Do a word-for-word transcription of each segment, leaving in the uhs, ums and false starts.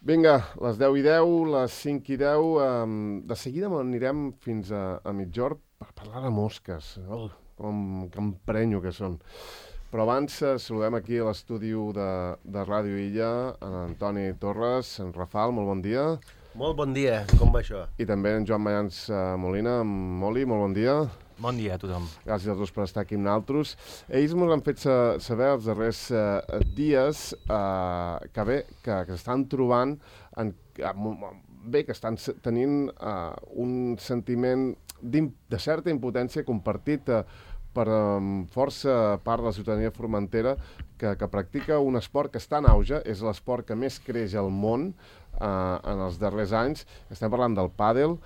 Vinga, les deu i deu, les cinc i deu, um, de seguida anirem fins a, a Migjorn per parlar de mosques. Oh, com que emprenyo que són. Però abans eh, saludem aquí a l'estudi de, de Ràdio Illa, en Antoni Torres, en Rafal, molt bon dia. Molt bon dia, com va això? I també en Joan Mayans uh, Molina, en Moli, molt bon dia. Bon dia a tothom. Gràcies a tots per estar aquí amb nosaltres. Ells ens han fet saber els darrers eh, dies eh, que bé, que, que s'estan trobant, en, bé, que estan tenint eh, un sentiment de certa impotència compartit eh, per um, força part de la ciutadania formentera que, que practica un esport que està en auge, és l'esport que més creix al món eh, en els darrers anys. Estem parlant del pàdel.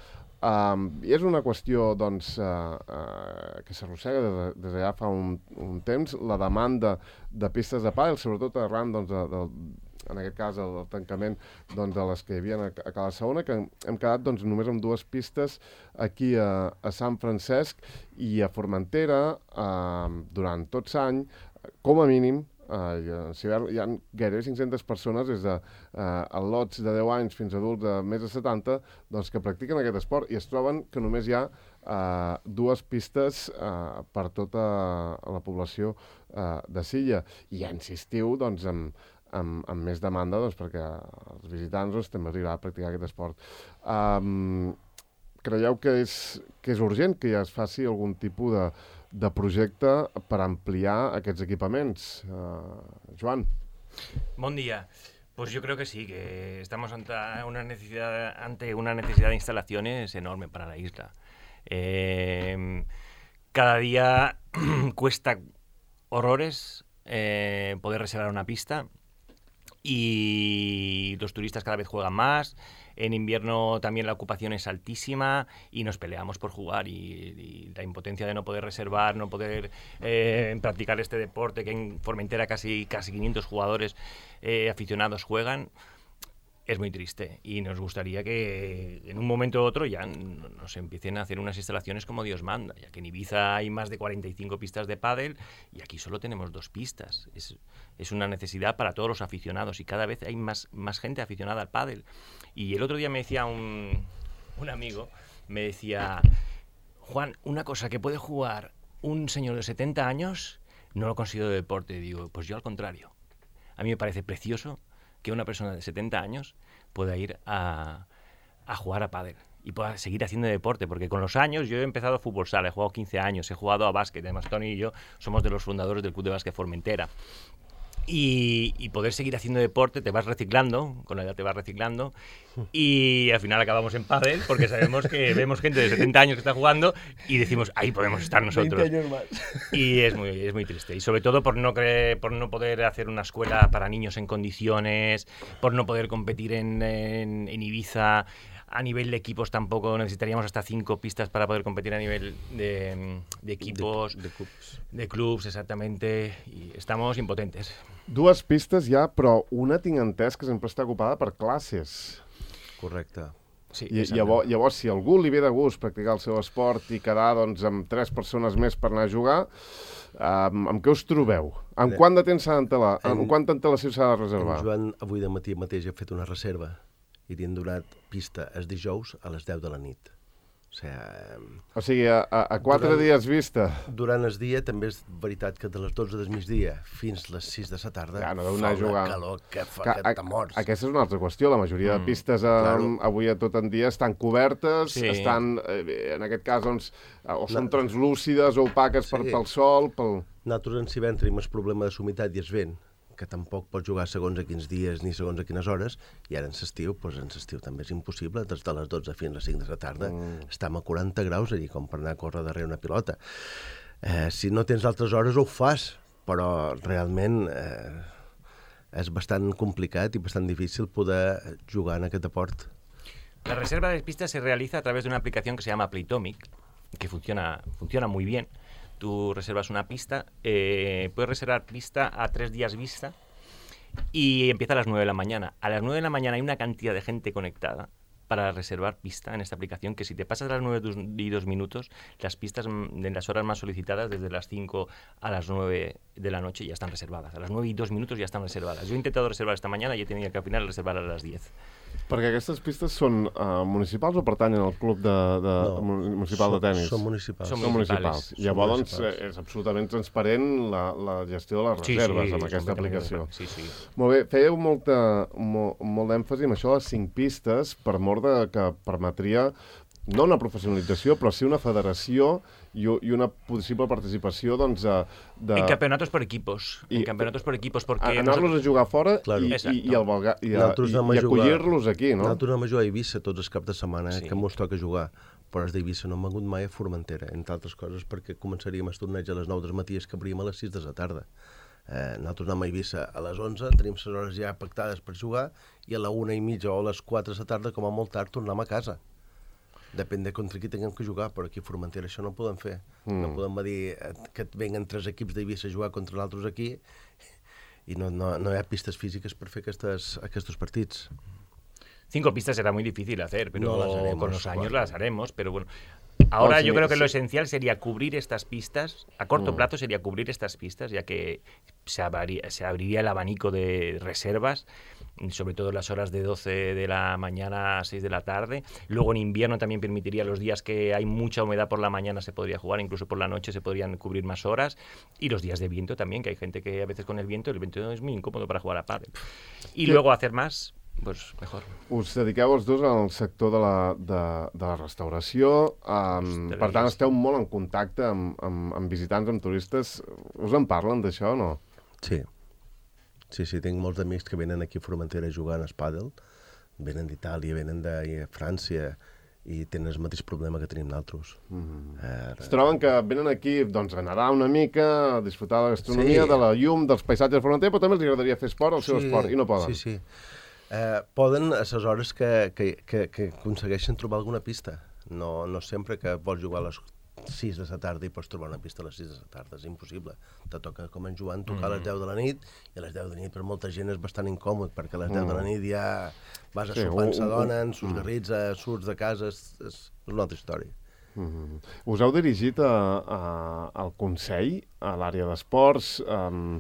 Um, I és una qüestió doncs, uh, uh, que s'arrossega des, des de ja fa un, un temps, la demanda de pistes de pàdel, sobretot arran, doncs, de, de, en aquest cas, el, el tancament doncs, de les que hi havia a, a Cala Saona, que hem quedat doncs, només amb dues pistes aquí a, a Sant Francesc i a Formentera uh, durant tot l'any, com a mínim. Uh, hi ha gairebé cinc-centes persones des de uh, lots de deu anys fins a adults de més de setanta doncs, que practiquen aquest esport i es troben que només hi ha uh, dues pistes uh, per tota la població uh, de Silla. I ja insistiu doncs, amb, amb, amb més demanda doncs, perquè els visitants doncs, també els agrada practicar aquest esport. Um, creieu que és, que és urgent que ja es faci algun tipus de de projecte per ampliar aquests equipaments? Uh, Joan. Buen día. Pues yo creo que sí, que estamos ante una necesidad, ante una necesidad de instalaciones enorme para la isla. Eh, cada día cuesta horrores eh, poder reservar una pista y los turistas cada vez juegan más. En invierno también la ocupación es altísima y nos peleamos por jugar y, y la impotencia de no poder reservar, no poder eh, practicar este deporte que en Formentera casi, casi quinientos jugadores eh, aficionados juegan, es muy triste y nos gustaría que en un momento u otro ya nos empiecen a hacer unas instalaciones como Dios manda, ya que en Ibiza hay más de cuarenta y cinco pistas de pádel y aquí solo tenemos dos pistas. Es, es una necesidad para todos los aficionados y cada vez hay más, más gente aficionada al pádel. Y el otro día me decía un, un amigo, me decía, Juan, una cosa que puede jugar un señor de setenta años no lo considero deporte. Digo, pues yo al contrario. A mí me parece precioso que una persona de setenta años pueda ir a, a jugar a pádel y pueda seguir haciendo deporte, porque con los años yo he empezado fútbol sala, he jugado quince años, he jugado a básquet, además Tony y yo somos de los fundadores del Club de Básquet Formentera. Y, y poder seguir haciendo deporte, te vas reciclando, con la edad te vas reciclando y al final acabamos en pádel porque sabemos que vemos gente de setenta años que está jugando y decimos, ahí podemos estar nosotros. veinte años más. Y es muy, es muy triste. Y sobre todo por no, cre- por no poder hacer una escuela para niños en condiciones, por no poder competir en, en, en Ibiza. A nivel de equipos tampoco necesitaríamos hasta cinco pistas para poder competir a nivel de, de equipos, de, de clubs. De clubs, exactamente, y estamos impotentes. Dues pistes ja, però una tinc entès que sempre està ocupada per classes. Correcte. Sí, I llavors, llavors, si a algú li ve de gust practicar el seu esport i quedar doncs, amb tres persones més per anar a jugar, um, amb què us trobeu? Amb Bé, quant de temps s'ha d'antela- en, amb quanta antelació s'ha de reservar? En Joan avui de matí mateix ha fet una reserva i li han donat pista els dijous a les deu de la nit. O sigui, O sigui, a, a, a quatre durant, dies vista. Durant el dia també és veritat que de les dotze del migdia fins les sis de la tarda Ja, no deu fa anar a jugar. una calor que fa Que, que, a, te morts. aquesta és una altra qüestió. La majoria de pistes eh, claro. avui a tot en dia estan cobertes, Sí. estan, eh, en aquest cas, doncs, o són translúcides o opaques per, Sí. pel sol, pel... Nosaltres en Civent tenim el problema de humitat i el vent, que tampoc pots jugar segons a quins dies ni segons a quines hores, i ara en l'estiu, doncs en l'estiu també és impossible, des de les dotze fins a les cinc de la tarda, mm. estem a quaranta graus allí, com per anar a córrer darrere una pilota. Eh, si no tens altres hores ho fas, però realment eh, és bastant complicat i bastant difícil poder jugar en aquest deport. La reserva de pistas se realiza a través de una aplicación que se llama Playtomic, que funciona, funciona muy bien. Tú reservas una pista, eh, puedes reservar pista a tres días vista y empieza a las nueve de la mañana. A las nueve de la mañana hay una cantidad de gente conectada para reservar pista en esta aplicación, que si te pasas a las nueve y dos minutos, las pistas de las horas más solicitadas, desde las cinco a las nueve de la noche, ya están reservadas. A las nueve y dos minutos ya están reservadas. Yo he intentado reservar esta mañana y he tenido que al final reservar a las diez. Perquè aquestes pistes són uh, municipals o pertanyen al club de, de, no, municipal són, de tenis? Són municipals. Són municipals. Són Llavors, municipals. és absolutament transparent la, la gestió de les reserves sí, sí, amb aquesta aplicació. Sí, sí. Molt bé, fèieu molta, molt, molt d'èmfasi en això, les cinc pistes, per mort de que permetria no una professionalització, però sí una federació i, i una possible participació, doncs, de... de... En campeonatos por equipos. I, en campeonatos por equipos, porque... Anar-los a jugar fora claro. i, i, i, el Valga, i, i, i acollir-los aquí, no? Nosaltres anem a jugar a Eivissa tots els caps de setmana, eh, sí. que mos toca jugar. Però els d'Eivissa no hem vengut mai a Formentera, entre altres coses perquè començaríem el torneig a les nou del matí i acabaríem a les sis de la tarda. Eh, nosaltres anem a Eivissa a les onze, tenim les hores ja pactades per jugar i a la una i mitja o a les quatre de la tarda, com a molt tard, tornem a casa. Depèn de contra qui tinguem que jugar, però aquí a Formentera això no ho podem fer. Mm. No podem dir que et venguen tres equips d'Eivissa a jugar contra l'altres aquí i no, no, no hi ha pistes físiques per fer aquestes, aquests partits. Cinco pistas será muy difícil hacer, pero no las haremos, con los años claro. las haremos, pero bueno. Ahora no, yo sí, creo que sí. lo esencial sería cubrir estas pistas, a corto mm. plazo sería cubrir estas pistas, ya que se abriría, se abriría el abanico de reservas, sobre todo en las horas de doce de la mañana a seis de la tarde. Luego en invierno también permitiría los días que hay mucha humedad por la mañana se podría jugar, incluso por la noche se podrían cubrir más horas. Y los días de viento también, que hay gente que a veces con el viento, el viento es muy incómodo para jugar a pádel. Y ¿Qué? Luego hacer más... Pues mejor. Us dediqueu els dos al sector de la, de, de la restauració, um, per tant esteu molt en contacte amb, amb, amb visitants, amb turistes. Us en parlen d'això o no? Sí. Sí, sí, tinc molts amics que venen aquí a Formentera jugant a pàdel, venen d'Itàlia, venen de França i tenen el mateix problema que tenim nosaltres. Mm-hmm. Eh, es troben que venen aquí doncs, a nedar una mica, a disfrutar de la gastronomia, sí. de la llum, dels paisatges de Formentera, però també els agradaria fer esport, el seu sí, esport, i no poden. Sí, sí. Eh, poden a les hores que, que, que, que aconsegueixen trobar alguna pista. No, no sempre que vols jugar a les sis de la tarda i pots trobar una pista a les sis de la tarda. És impossible. Te toca, com en Joan, tocar a les deu de la nit, i a les deu de la nit per molta gent és bastant incòmod, perquè a les deu de la nit ja vas a Sí, sopar amb sa un- dona, un- en sus garrits, surts de casa, és, és una altra història. Mm-hmm. Us heu dirigit a, a, al Consell, a l'àrea d'esports? Um,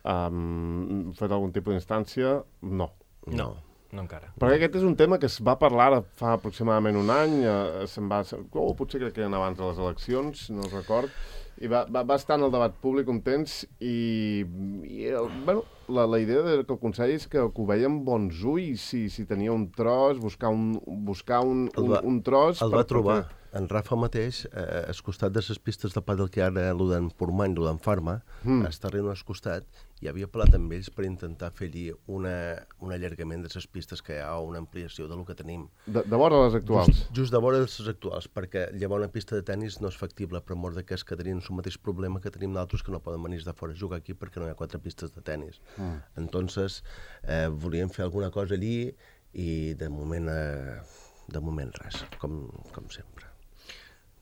um, fet algun tipus d'instància? No. No, no encara. Perquè aquest és un tema que es va parlar ara fa aproximadament un any, eh, se'n va, oh, potser crec que eren abans de les eleccions, no el record, i va, va, va estar en el debat públic un temps i, i el, bueno, la, la idea de que el Consell és que, que ho veia amb bons ulls, si, si tenia un tros, buscar un, buscar un, un, va, un tros... El per, va trobar. Per En Rafa mateix, eh, al costat de les pistes de pàdel que hi ha ara, el d'en Portmany, el d'en Farma, mm. està arribant al costat, i havia parlat amb ells per intentar fer allí una, un allargament de les pistes que hi ha o una ampliació del que tenim. De, de vora les actuals? Just, just de vora les actuals, perquè llevar una pista de tennis no és factible, per mort de que és que tenien el mateix problema que tenim d'altres que no poden venir de fora a jugar aquí perquè no hi ha quatre pistes de tennis. Mm. Entonces, eh, volíem fer alguna cosa allí i de moment, eh, de moment res, com, com sempre.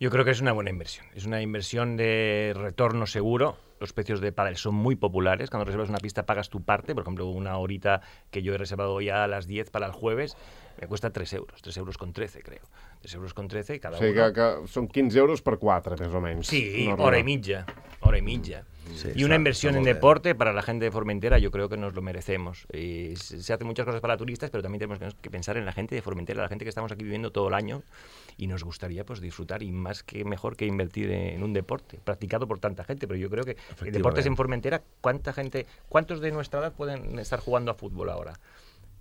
Yo creo que es una buena inversión. Es una inversión de retorno seguro. Los precios de pádel son muy populares. Cuando reservas una pista pagas tu parte. Por ejemplo, una horita que yo he reservado ya a las diez para el jueves me cuesta tres euros. tres euros con trece, creo. tres euros con trece cada o sigui, uno. que, que són quinze euros per quatre, més o menys. Sí, no hora y mitja. Hora y mitja. Sí, y una está, inversión está en bien. deporte para la gente de Formentera, yo creo que nos lo merecemos. Y se se hacen muchas cosas para turistas, pero también tenemos que pensar en la gente de Formentera, la gente que estamos aquí viviendo todo el año y nos gustaría pues disfrutar, y más que mejor que invertir en un deporte practicado por tanta gente. Pero yo creo que el deportes en Formentera, ¿cuánta gente, cuántos de nuestra edad pueden estar jugando a fútbol ahora?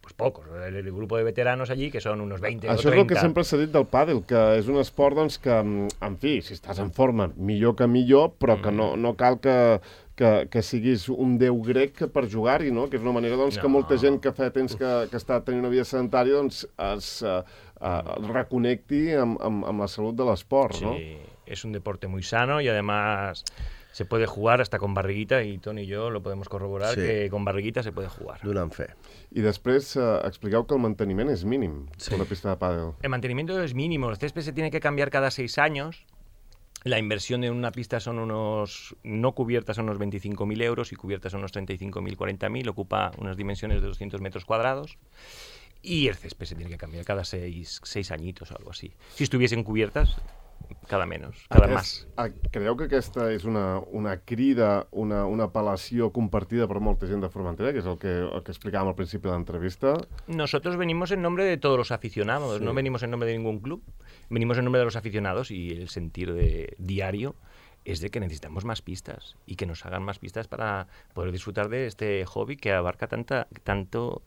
Pues pocos. El, el grupo de veteranos allí, que son unos veinte Això o trenta. és el que sempre s'ha dit del pàdel, que és un esport doncs, que, en fi, si estàs en forma, millor que millor, però que no, no cal que, que, que siguis un déu grec per jugar-hi, no? Que és una manera doncs, no. que molta gent que fa temps que, que està tenint una vida sedentària doncs, es uh, uh, reconnecti amb, amb, amb la salut de l'esport, Sí, no? es un deporte muy sano y además se puede jugar hasta con barriguita, y Toni y yo lo podemos corroborar, Sí. que con barriguita se puede jugar. Donant fe. I després uh, expliqueu que el manteniment és mínim Sí. per la pista de pàdel. El mantenimiento es mínimo, el césped se tiene que cambiar cada seis años. La inversión en una pista son unos, no cubiertas son unos veinticinco mil euros y cubiertas son unos treinta y cinco mil, cuarenta mil, ocupa unas dimensiones de doscientos metros cuadrados. y el césped se tiene que cambiar cada seis, seis añitos o algo así. Si estuviesen cubiertas, cada menos, cada Aquest, más. Creieu que aquesta és una, una crida, una, una apel·lació compartida per molta gent de Formentera, que és el que, el que explicàvem al principi de l'entrevista? Nosotros venimos en nombre de todos los aficionados, sí. No venimos en nombre de ningún club, venimos en nombre de los aficionados y el sentir de diario es de que necesitamos más pistas y que nos hagan más pistas para poder disfrutar de este hobby que abarca tanta, tanto...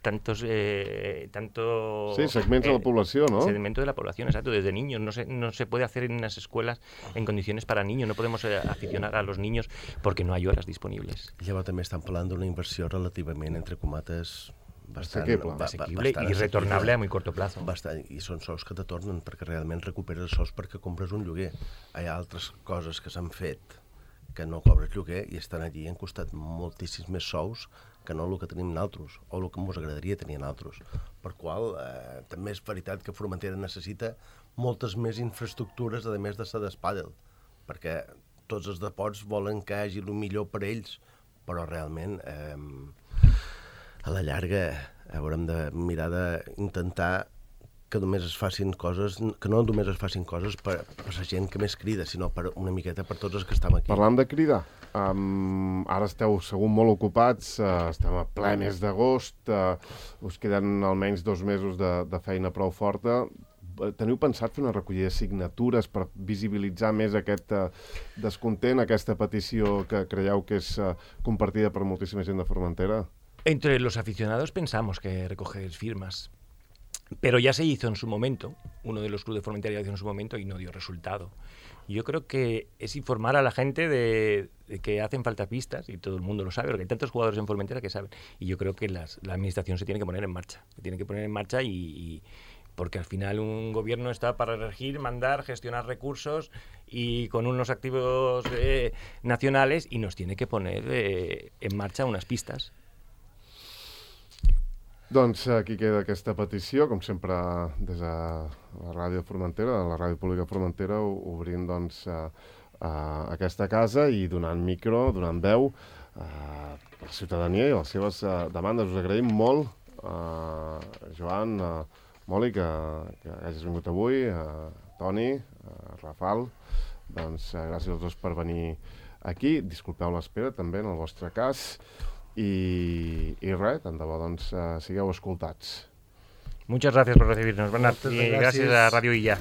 tantos eh, tanto sí, segmentos eh, de la población, ¿no? Segmento de la población, exacto, desde niños. No se, no se puede hacer en las escuelas en condiciones para niños, no podemos eh, aficionar a los niños porque no hay horas disponibles. Llavors també estan parlant d'una inversió relativament, entre comates, bastant, asequible, ba asequible bastant i retornable a muy corto plazo. Bastant, I són sous que te tornen perquè realment recuperes els sous perquè compres un lloguer. Hi ha altres coses que s'han fet que no cobres lloguer i estan allí i han costat moltíssims més sous que no el que tenim nosaltres, o el que ens agradaria tenir nosaltres. Per qual, eh, també és veritat que Formentera necessita moltes més infraestructures, a més de ser d'espàdel, perquè tots els deports volen que hi hagi el millor per ells, però realment, eh, a la llarga, haurem de mirar d'intentar que només es facin coses, que no només es facin coses per, per la gent que més crida, sinó per una miqueta per tots els que estem aquí. Parlant de cridar, um, ara esteu segur molt ocupats, uh, estem a ple mes d'agost, uh, us queden almenys dos mesos de, de feina prou forta. Teniu pensat fer una recollida de signatures per visibilitzar més aquest uh, descontent, aquesta petició que creieu que és uh, compartida per moltíssima gent de Formentera? Entre los aficionados pensamos que recoger firmas. Pero ya se hizo en su momento, uno de los clubes de Formentera ya hizo en su momento y no dio resultado. Yo creo que es informar a la gente de, de que hacen falta pistas, y todo el mundo lo sabe, porque hay tantos jugadores en Formentera que saben. Y yo creo que las, la administración se tiene que poner en marcha, se tiene que poner en marcha y, y porque al final un gobierno está para regir, mandar, gestionar recursos y con unos activos eh, nacionales y nos tiene que poner eh, en marcha unas pistas. Doncs aquí queda aquesta petició, com sempre des de la ràdio Formentera, la ràdio pública Formentera, obrint doncs, a, a aquesta casa i donant micro, donant veu a la ciutadania i a les seves a, demandes. Us agraïm molt, a Joan, a Moli, que, que hagis vingut avui, a Toni, a Rafal. Doncs gràcies als dos per venir aquí. Disculpeu l'espera també en el vostre cas. I, i res, tant de bo, doncs, uh, sigueu escoltats. Muchas gracias por recibirnos, Bernat, y gracias a Radio Illa.